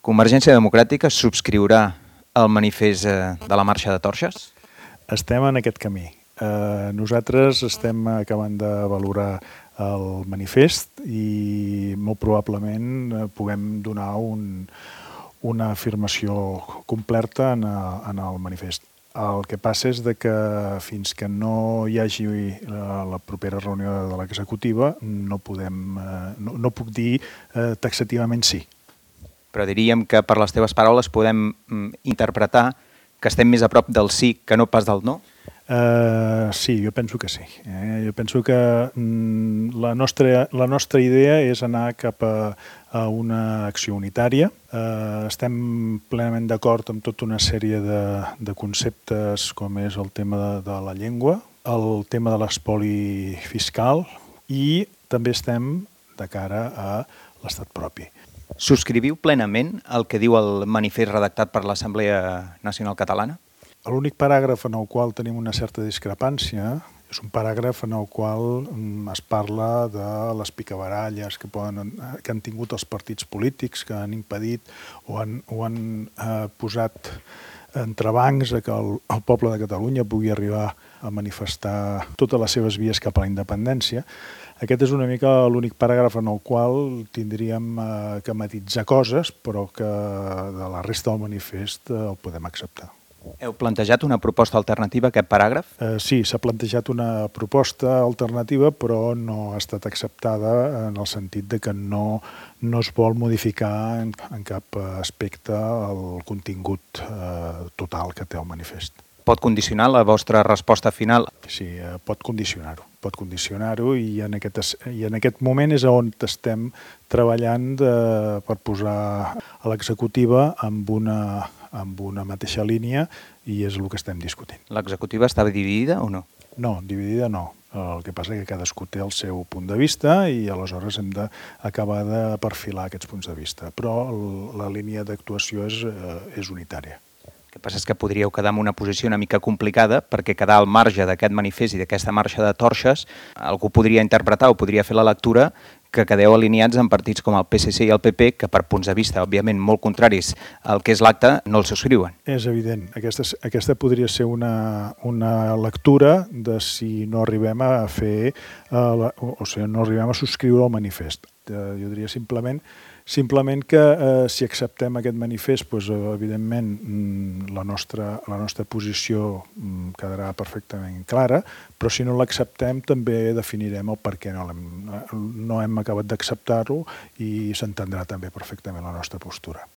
Convergència Democràtica subscriurà el manifest de la Marxa de Torxes? Estem en aquest camí. Nosaltres estem acabant de valorar el manifest i molt probablement puguem donar una afirmació completa en el manifest. El que passa és que fins que no hi hagi la propera reunió de l'executiva no puc dir taxativament sí. Però diríem que per les teves paraules podem interpretar que estem més a prop del sí que no pas del no? Sí, jo penso que sí. Jo penso que la nostra idea és anar cap a una acció unitària. Estem plenament d'acord amb tota una sèrie de conceptes com és el tema de la llengua, el tema de l'espoli fiscal i també estem de cara a l'estat propi. Subscriviu plenament el que diu el manifest redactat per l'Assemblea Nacional Catalana? L'únic paràgraf en el qual tenim una certa discrepància és un paràgraf en el qual es parla de les picabaralles que han tingut els partits polítics, que han impedit o han posat entrebancs a que el poble de Catalunya pugui arribar a manifestar totes les seves vies cap a la independència. Aquest és una mica l'únic paràgraf en el qual tindríem que matitzar coses, però que de la resta del manifest el podem acceptar. Heu plantejat una proposta alternativa a aquest paràgraf? Sí, s'ha plantejat una proposta alternativa, però no ha estat acceptada en el sentit de que no es vol modificar en cap aspecte el contingut total que té el manifest. Pot condicionar la vostra resposta final? Sí, pot condicionar-ho i en aquest moment és on estem treballant per posar a l'executiva amb una mateixa línia i és el que estem discutint. L'executiva està dividida o no? No, dividida no. El que passa és que cadascú té el seu punt de vista i aleshores hem d'acabar de perfilar aquests punts de vista. Però la línia d'actuació és unitària. El que passa és que podríeu quedar en una posició una mica complicada perquè quedar al marge d'aquest manifest i d'aquesta marxa de torxes algú podria interpretar o podria fer la lectura que quedeu alineats en partits com el PSC i el PP que per punts de vista, òbviament, molt contraris al que és l'acte, no el subscriuen. És evident. Aquesta podria ser una lectura de si no arribem a fer, o sigui, no arribem a subscriure el manifest. Jo diria simplement que si acceptem aquest manifest, doncs, evidentment la nostra posició quedarà perfectament clara, però si no l'acceptem també definirem el per què no hem acabat d'acceptar-ho i s'entendrà també perfectament la nostra postura.